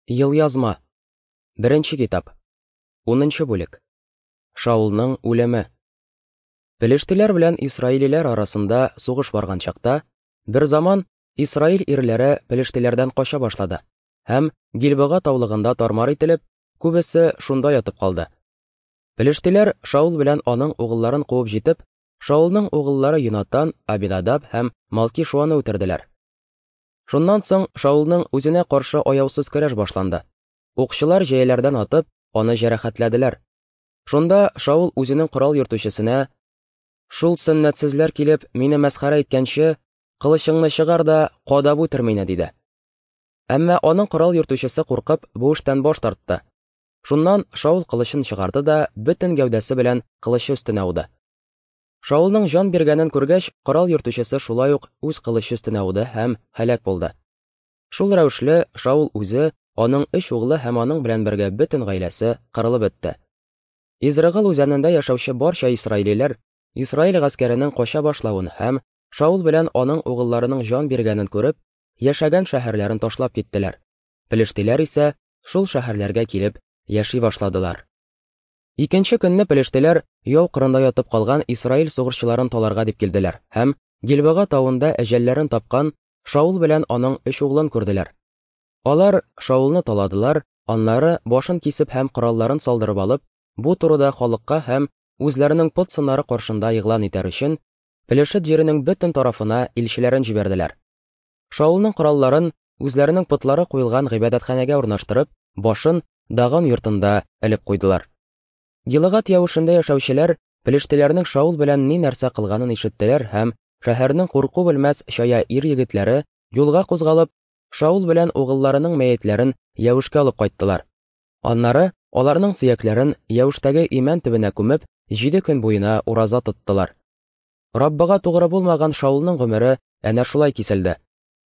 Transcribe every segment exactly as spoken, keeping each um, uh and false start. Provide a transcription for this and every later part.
Елъязма. Беренче китап. Унынчы бүлек. Шаулның үлеме. Пелештиләр белән исраилиләр арасында сугыш барган чакта, бер заман Исраил ирләре пелештиләрдән кача башлады һәм Гилбога таулыгында тармар ителеп, күбесе шунда ятып калды. Пелештиләр Шаул белән аның угылларын куып җитеп, Шаулның угыллары Йонатан, Абинадаб һәм Малкишуаны үтерделәр. Шуннан соң Шаулның үзенә каршы аяусыз көрәш башланды. Укчылар җәяләрдән атып, аны җәрәхәтләделәр. Шунда Шаул үзенең корал йөртүчесенә: "Шул сөннәтсезләр килеп мине мәсхәрә иткәнче, кылычыңны чыгар да кадап үтер мине", диде. Әмма аның корал йөртүчесе куркып, бу эштән баш тартты. Шуннан Шаул кылычын чыгарды да бөтен гәүдәсе белән кылычы өстенә ауды. Шаулның җан биргәнен күргәч, корал йөртүчесе шулай ук үз кылычы өстенә ауды һәм һәлак булды. Шул рәвешле Шаул үзе, аның өч углы һәм аның белән бергә бөтен гаиләсе кырылып бетте. Изрыгыл үзәнендә яшәүче барча исраилиләр Исраил гаскәренең кача башлавын һәм Шаул белән аның угылларының җан биргәнен күреп, яшәгән шәһәрләрен ташлап киттеләр. Пелештиләр исә шул шәһәрләргә килеп яши башладылар. Икенче көнне пелештиләр яу кырында ятып калган Исраил сугышчыларын таларга дип килделәр һәм Гилбога тавында әҗәлләрен тапкан Шаул белән аның өч углын күрделәр. Алар Шаулны таладылар, аннары башын кисеп һәм коралларын салдырып алып, бу турыда халыкка һәм үзләренең пот сыннары каршында игълан итәр өчен Пелешет җиренең бөтен тарафына илчеләрен җибәрделәр. Шаулның коралларын үзләренең потлары куелган гыйбадәтханәгә урнаштырып, башын Дагон йортында элеп куйдылар. Гилыгат явышында яшәүчеләр пелештиләрнең Шаул белән ни нәрсә кылганын ишеттеләр һәм шәһәрнең курку белмәс чая ир егетләре юлга кузгалып, Шаул белән угылларының мәетләрен Явышка алып кайттылар. Аннары аларның сөякләрен Явыштагы имән төбенә күмеп, җиде көн буена ураза тоттылар. Раббыга тугры булмаган Шаулның гомере әнә шулай киселде.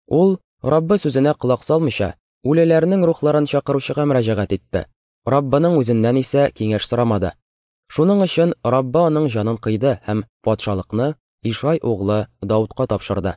Ул Раббы сүзенә колак салмыйча, үлеләрнең рухларын чакыручыга мөрәҗәгать итте. Раббының үзеннән исә киңәш сорамады. Шуның өчен Раббы аның җанын кыйды һәм патшалыкны Ишай углы Даудка тапшырды.